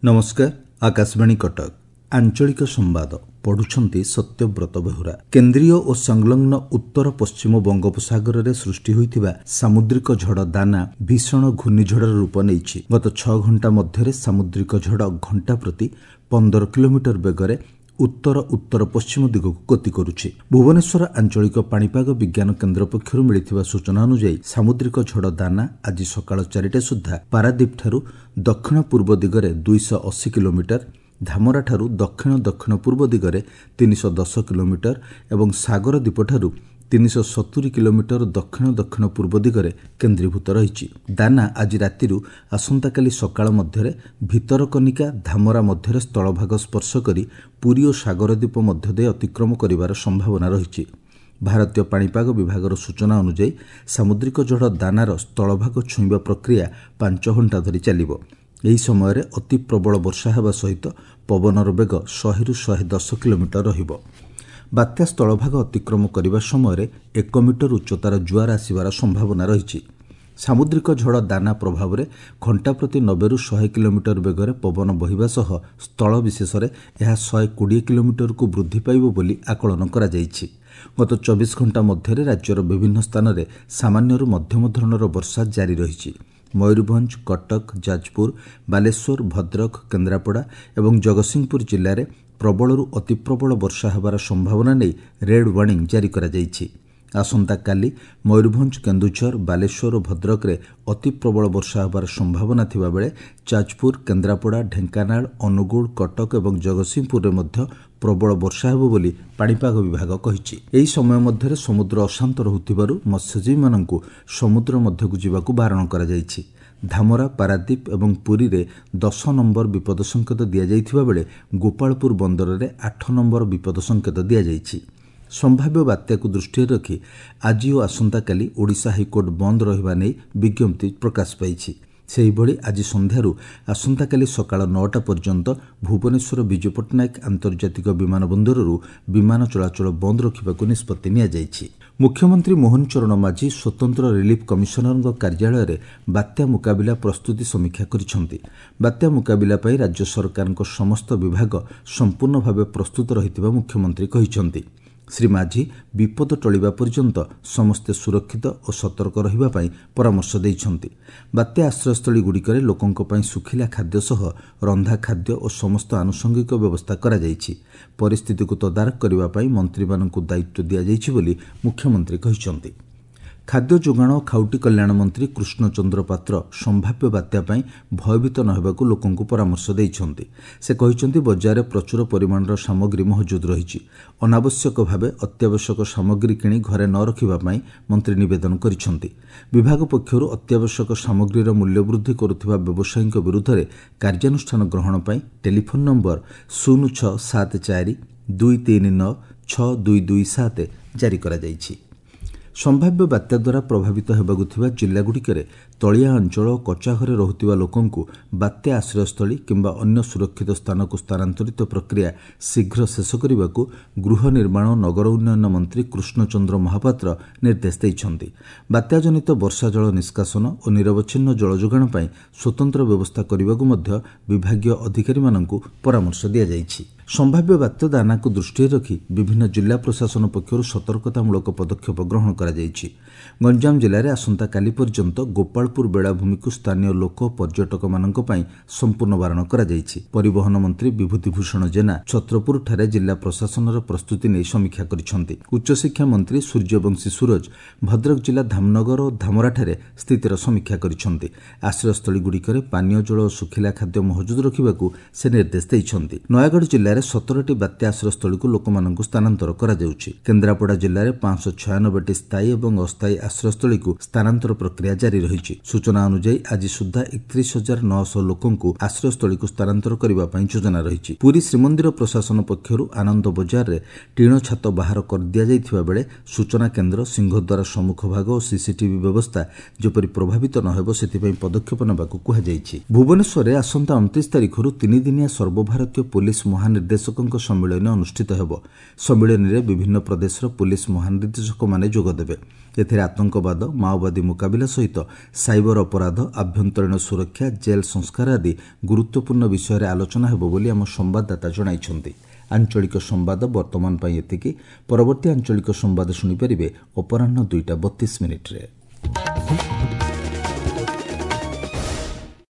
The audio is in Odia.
ନମସ୍କାର, ଆକାଶବାଣୀ କଟକ, ଆଞ୍ଚଳିକ ସମ୍ବାଦ ପଢୁଛନ୍ତି ସତ୍ୟବ୍ରତ ବେହୁରା। କେନ୍ଦ୍ରୀୟ ଓ ସଂଲଗ୍ନ ଉତ୍ତର ପଶ୍ଚିମ ବଙ୍ଗୋପସାଗରରେ ସୃଷ୍ଟି ହୋଇଥିବା ସାମୁଦ୍ରିକ ଝଡ଼ ଦାନା ଭୀଷଣ ଘୂର୍ଣ୍ଣିଝଡ଼ର ରୂପ ନେଇଛି। ଗତ 6 ଘଣ୍ଟା ମଧ୍ୟରେ ସାମୁଦ୍ରିକ ଝଡ଼ ଘଣ୍ଟା ପ୍ରତି 15 କିଲୋମିଟର ବେଗରେ ଉତ୍ତର ଉତ୍ତର ପଶ୍ଚିମ ଦିଗକୁ ଗତି କରୁଛି। ଭୁବନେଶ୍ୱର ଆଞ୍ଚଳିକ ପାଣିପାଗ ବିଜ୍ଞାନ କେନ୍ଦ୍ର ପକ୍ଷରୁ ମିଳିଥିବା ସୂଚନା ଅନୁଯାୟୀ ସାମୁଦ୍ରିକ ଝଡ଼ ଦାନା ଆଜି ସକାଳ 4ଟା ସୁଦ୍ଧା ପାରାଦୀପଠାରୁ ଦକ୍ଷିଣ ପୂର୍ବ ଦିଗରେ 280 କିଲୋମିଟର, ଧାମରାଠାରୁ ଦକ୍ଷିଣ ଦକ୍ଷିଣ ପୂର୍ବ ଦିଗରେ 310 କିଲୋମିଟର ଏବଂ ସାଗର ଦ୍ୱୀପଠାରୁ 370 କିଲୋମିଟର ଦକ୍ଷିଣ ଦକ୍ଷିଣ ପୂର୍ବ ଦିଗରେ କେନ୍ଦ୍ରୀଭୂତ ରହିଛି। ଦାନା ଆଜି ରାତିରୁ ଆସନ୍ତାକାଲି ସକାଳ ମଧ୍ୟରେ ଭିତରକନିକା ଧାମରା ମଧ୍ୟରେ ସ୍ଥଳଭାଗ ସ୍ପର୍ଶ କରି ପୁରୀ ଓ ସାଗରଦ୍ୱୀପ ମଧ୍ୟ ଦେଇ ଅତିକ୍ରମ କରିବାର ସମ୍ଭାବନା ରହିଛି। ଭାରତୀୟ ପାଣିପାଗ ବିଭାଗର ସୂଚନା ଅନୁଯାୟୀ ସାମୁଦ୍ରିକ ଝଡ଼ ଦାନାର ସ୍ଥଳଭାଗ ଛୁଇଁବା ପ୍ରକ୍ରିୟା 5 ଘଣ୍ଟା ଧରି ଚାଲିବ। ଏହି ସମୟରେ ଅତି ପ୍ରବଳ ବର୍ଷା ହେବା ସହିତ ପବନର ବେଗ 100ରୁ 110 କିଲୋମିଟର ରହିବ। ବାତ୍ୟା ସ୍ଥଳଭାଗ ଅତିକ୍ରମ କରିବା ସମୟରେ 1 ମିଟର ଉଚ୍ଚତାର ଜୁଆର ଆସିବାର ସମ୍ଭାବନା ରହିଛି। ସାମୁଦ୍ରିକ ଝଡ଼ ଦାନା ପ୍ରଭାବରେ ଘଣ୍ଟା ପ୍ରତି 90ରୁ 100 କିଲୋମିଟର ବେଗରେ ପବନ ବହିବା ସହ ସ୍ଥଳ ବିଶେଷରେ ଏହା 120 କିଲୋମିଟରକୁ ବୃଦ୍ଧି ପାଇବ ବୋଲି ଆକଳନ କରାଯାଇଛି। ଗତ 24 ଘଣ୍ଟା ମଧ୍ୟରେ ରାଜ୍ୟର ବିଭିନ୍ନ ସ୍ଥାନରେ ସାମାନ୍ୟରୁ ମଧ୍ୟମ ଧରଣର ବର୍ଷା ଜାରି ରହିଛି। ମୟୂରଭଞ୍ଜ, କଟକ, ଯାଜପୁର, ବାଲେଶ୍ୱର, ଭଦ୍ରକ, କେନ୍ଦ୍ରାପଡ଼ା ଏବଂ ଜଗତସିଂହପୁର ଜିଲ୍ଲାରେ ପ୍ରବଳରୁ ଅତିପ୍ରବଳ ବର୍ଷା ହେବାର ସମ୍ଭାବନା ନେଇ ରେଡ୍ ୱାର୍ଣ୍ଣିଂ ଜାରି କରାଯାଇଛି। ଆସନ୍ତାକାଲି ମୟୂରଭଞ୍ଜ, କେନ୍ଦୁଝର, ବାଲେଶ୍ୱର ଓ ଭଦ୍ରକରେ ଅତିପ୍ରବଳ ବର୍ଷା ହେବାର ସମ୍ଭାବନା ଥିବାବେଳେ ଯାଜପୁର, କେନ୍ଦ୍ରାପଡ଼ା, ଢେଙ୍କାନାଳ, ଅନୁଗୁଳ, କଟକ ଏବଂ ଜଗତସିଂହପୁରରେ ମଧ୍ୟ ପ୍ରବଳ ବର୍ଷା ହେବ ବୋଲି ପାଣିପାଗ ବିଭାଗ କହିଛି। ଏହି ସମୟ ମଧ୍ୟରେ ସମୁଦ୍ର ଅଶାନ୍ତ ରହୁଥିବାରୁ ମତ୍ସ୍ୟଜୀବୀମାନଙ୍କୁ ସମୁଦ୍ର ମଧ୍ୟକୁ ଯିବାକୁ ବାରଣ କରାଯାଇଛି। ଧାମରା, ପାରାଦୀପ ଏବଂ ପୁରୀରେ 10 ନମ୍ବର ବିପଦ ସଙ୍କେତ ଦିଆଯାଇଥିବା ବେଳେ ଗୋପାଳପୁର ବନ୍ଦରରେ 8 ନମ୍ବର ବିପଦ ସଙ୍କେତ ଦିଆଯାଇଛି। ସମ୍ଭାବ୍ୟ ବାତ୍ୟାକୁ ଦୃଷ୍ଟିରେ ରଖି ଆଜି ଓ ଆସନ୍ତାକାଲି ଓଡ଼ିଶା ହାଇକୋର୍ଟ ବନ୍ଦ ରହିବା ନେଇ ବିଜ୍ଞପ୍ତି ପ୍ରକାଶ ପାଇଛି। ସେହିଭଳି ଆଜି ସନ୍ଧ୍ୟାରୁ ଆସନ୍ତାକାଲି ସକାଳ 9ଟା ପର୍ଯ୍ୟନ୍ତ ଭୁବନେଶ୍ୱର ବିଜୁ ପଟ୍ଟନାୟକ ଆନ୍ତର୍ଜାତିକ ବିମାନ ବନ୍ଦରରୁ ବିମାନ ଚଳାଚଳ ବନ୍ଦ ରଖିବାକୁ ନିଷ୍ପତ୍ତି ନିଆଯାଇଛି। ମୁଖ୍ୟମନ୍ତ୍ରୀ ମୋହନ ଚରଣ ମାଝୀ ସ୍ୱତନ୍ତ୍ର ରିଲିଫ୍ କମିଶନରଙ୍କ କାର୍ଯ୍ୟାଳୟରେ ବାତ୍ୟା ମୁକାବିଲା ପ୍ରସ୍ତୁତି ସମୀକ୍ଷା କରିଛନ୍ତି। ବାତ୍ୟା ମୁକାବିଲା ପାଇଁ ରାଜ୍ୟ ସରକାରଙ୍କ ସମସ୍ତ ବିଭାଗ ସମ୍ପୂର୍ଣ୍ଣ ଭାବେ ପ୍ରସ୍ତୁତ ରହିଥିବା ମୁଖ୍ୟମନ୍ତ୍ରୀ କହିଛନ୍ତି। ଶ୍ରୀ ମାଝୀ ବିପଦ ଟଳିବା ପର୍ଯ୍ୟନ୍ତ ସମସ୍ତେ ସୁରକ୍ଷିତ ଓ ସତର୍କ ରହିବା ପାଇଁ ପରାମର୍ଶ ଦେଇଛନ୍ତି। ବାତ୍ୟା ଆଶ୍ରୟସ୍ଥଳୀଗୁଡ଼ିକରେ ଲୋକଙ୍କ ପାଇଁ ଶୁଖିଲା ଖାଦ୍ୟ ସହ ରନ୍ଧା ଖାଦ୍ୟ ଓ ସମସ୍ତ ଆନୁଷଙ୍ଗିକ ବ୍ୟବସ୍ଥା କରାଯାଇଛି। ପରିସ୍ଥିତିକୁ ତଦାରଖ କରିବା ପାଇଁ ମନ୍ତ୍ରୀମାନଙ୍କୁ ଦାୟିତ୍ୱ ଦିଆଯାଇଛି ବୋଲି ମୁଖ୍ୟମନ୍ତ୍ରୀ କହିଛନ୍ତି। ଖାଦ୍ୟ ଯୋଗାଣ ଓ ଖାଉଟି କଲ୍ୟାଣ ମନ୍ତ୍ରୀ କୃଷ୍ଣଚନ୍ଦ୍ର ପାତ୍ର ସମ୍ଭାବ୍ୟ ବାତ୍ୟା ପାଇଁ ଭୟଭୀତ ନ ହେବାକୁ ଲୋକଙ୍କୁ ପରାମର୍ଶ ଦେଇଛନ୍ତି। ସେ କହିଛନ୍ତି, ବଜାରରେ ପ୍ରଚୁର ପରିମାଣର ସାମଗ୍ରୀ ମହଜୁଦ ରହିଛି। ଅନାବଶ୍ୟକ ଭାବେ ଅତ୍ୟାବଶ୍ୟକ ସାମଗ୍ରୀ କିଣି ଘରେ ନ ରଖିବା ପାଇଁ ମନ୍ତ୍ରୀ ନିବେଦନ କରିଛନ୍ତି। ବିଭାଗ ପକ୍ଷରୁ ଅତ୍ୟାବଶ୍ୟକ ସାମଗ୍ରୀର ମୂଲ୍ୟ ବୃଦ୍ଧି କରୁଥିବା ବ୍ୟବସାୟୀଙ୍କ ବିରୁଦ୍ଧରେ କାର୍ଯ୍ୟାନୁଷ୍ଠାନ ଗ୍ରହଣ ପାଇଁ ଟେଲିଫୋନ୍ ନମ୍ବର 0674 239 6227 ଜାରି କରାଯାଇଛି। ସମ୍ଭାବ୍ୟ ବାତ୍ୟା ଦ୍ୱାରା ପ୍ରଭାବିତ ହେବାକୁ ଥିବା ଜିଲ୍ଲାଗୁଡ଼ିକରେ ତଳିଆ ଅଞ୍ଚଳ ଓ କଚ୍ଚା ଘରେ ରହୁଥିବା ଲୋକଙ୍କୁ ବାତ୍ୟା ଆଶ୍ରୟସ୍ଥଳୀ କିମ୍ବା ଅନ୍ୟ ସୁରକ୍ଷିତ ସ୍ଥାନକୁ ସ୍ଥାନାନ୍ତରିତ ପ୍ରକ୍ରିୟା ଶୀଘ୍ର ଶେଷ କରିବାକୁ ଗୃହ ନିର୍ମାଣ ଓ ନଗର ଉନ୍ନୟନ ମନ୍ତ୍ରୀ କୃଷ୍ଣଚନ୍ଦ୍ର ମହାପାତ୍ର ନିର୍ଦ୍ଦେଶ ଦେଇଛନ୍ତି। ବାତ୍ୟାଜନିତ ବର୍ଷା ଜଳ ନିଷ୍କାସନ ଓ ନିରବଚ୍ଛିନ୍ନ ଜଳଯୋଗାଣ ପାଇଁ ସ୍ୱତନ୍ତ୍ର ବ୍ୟବସ୍ଥା କରିବାକୁ ମଧ୍ୟ ବିଭାଗୀୟ ଅଧିକାରୀମାନଙ୍କୁ ପରାମର୍ଶ ଦିଆଯାଇଛି। ସମ୍ଭାବ୍ୟ ବାତ୍ୟା ଦାନାକୁ ଦୃଷ୍ଟିରେ ରଖି ବିଭିନ୍ନ ଜିଲ୍ଲା ପ୍ରଶାସନ ପକ୍ଷରୁ ସତର୍କତାମୂଳକ ପଦକ୍ଷେପ ଗ୍ରହଣ କରାଯାଇଛି। ଗଞ୍ଜାମ ଜିଲ୍ଲାରେ ଆସନ୍ତାକାଲି ପର୍ଯ୍ୟନ୍ତ ଗୋପାଳପୁର ବେଳାଭୂମିକୁ ସ୍ଥାନୀୟ ଲୋକ ପର୍ଯ୍ୟଟକମାନଙ୍କ ପାଇଁ ସମ୍ପୂର୍ଣ୍ଣ ବାରଣ କରାଯାଇଛି। ପରିବହନ ମନ୍ତ୍ରୀ ବିଭୂତି ଭୂଷଣ ଜେନା ଛତ୍ରପୁରଠାରେ ଜିଲ୍ଲା ପ୍ରଶାସନର ପ୍ରସ୍ତୁତି ନେଇ ସମୀକ୍ଷା କରିଛନ୍ତି। ଉଚ୍ଚଶିକ୍ଷା ମନ୍ତ୍ରୀ ସୂର୍ଯ୍ୟବଂଶୀ ସୂରଜ ଭଦ୍ରକ ଜିଲ୍ଲା ଧାମନଗର ଓ ଧାମରାଠାରେ ସ୍ଥିତିର ସମୀକ୍ଷା କରିଛନ୍ତି। ଆଶ୍ରୟସ୍ଥଳୀଗୁଡ଼ିକରେ ପାନୀୟ ଜଳ ଓ ଶୁଖିଲା ଖାଦ୍ୟ ମହଜୁଦ ରଖିବାକୁ ସେ ନିର୍ଦ୍ଦେଶ ଦେଇଛନ୍ତି। ନୟାଗଡ଼ ଜିଲ୍ଲାରେ 17ଟି ବାତ୍ୟା ଆଶ୍ରୟସ୍ଥଳୀକୁ ଲୋକମାନଙ୍କୁ ସ୍ଥାନାନ୍ତର କରାଯାଉଛି। କେନ୍ଦ୍ରାପଡ଼ା ଜିଲ୍ଲାରେ 596ଟି ସ୍ଥାୟୀ ଏବଂ ଅସ୍ଥାୟୀ ଆଶ୍ରୟସ୍ଥଳୀକୁ ସ୍ଥାନାନ୍ତର ପ୍ରକ୍ରିୟା ଜାରି ରହିଛି। ସୂଚନା ଅନୁଯାୟୀ ଆଜି ସୁଦ୍ଧା 31,900 ଲୋକଙ୍କୁ ଆଶ୍ରୟସ୍ଥଳୀକୁ ସ୍ଥାନାନ୍ତର କରିବା ପାଇଁ ଯୋଜନା ରହିଛି। ପୁରୀ ଶ୍ରୀମନ୍ଦିର ପ୍ରଶାସନ ପକ୍ଷରୁ ଆନନ୍ଦ ବଜାରରେ ଟିଣ ଛାତ ବାହାର କରିଦିଆଯାଇଥିବା ବେଳେ ସୂଚନା କେନ୍ଦ୍ର, ସିଂହଦ୍ୱାର ସମ୍ମୁଖ ଭାଗ ଓ ସିସିଟିଭି ବ୍ୟବସ୍ଥା ଯେପରି ପ୍ରଭାବିତ ନ ହେବ ସେଥିପାଇଁ ପଦକ୍ଷେପ ନେବାକୁ କୁହାଯାଇଛି। ଭୁବନେଶ୍ୱରରେ ଆସନ୍ତା 29 ତାରିଖରୁ 3 ଦିନିଆ ସର୍ବଭାରତୀୟ ପୋଲିସ ମହାନିର୍ଦ୍ଦେଶକ ମହାନିର୍ଦ୍ଦେଶକଙ୍କ ସମ୍ମିଳନୀ ଅନୁଷ୍ଠିତ ହେବ। ସମ୍ମିଳନୀରେ ବିଭିନ୍ନ ପ୍ରଦେଶର ପୁଲିସ୍ ମହାନିର୍ଦ୍ଦେଶକମାନେ ଯୋଗଦେବେ। ଏଥିରେ ଆତଙ୍କବାଦ, ମାଓବାଦୀ ମୁକାବିଲା ସହିତ ସାଇବର ଅପରାଧ, ଆଭ୍ୟନ୍ତରୀଣ ସୁରକ୍ଷା, ଜେଲ୍ ସଂସ୍କାର ଆଦି ଗୁରୁତ୍ୱପୂର୍ଣ୍ଣ ବିଷୟରେ ଆଲୋଚନା ହେବ ବୋଲି ଆମ ସମ୍ବାଦଦାତା ଜଣାଇଛନ୍ତି। ଆଞ୍ଚଳିକ ସମ୍ବାଦ ବର୍ତ୍ତମାନ ପାଇଁ ଏତିକି। ପରବର୍ତ୍ତୀ ଆଞ୍ଚଳିକ ସମ୍ବାଦ ଶୁଣିପାରିବେ ଅପରାହ୍ନ 2ଟା 32 ମିନିଟ୍ରେ।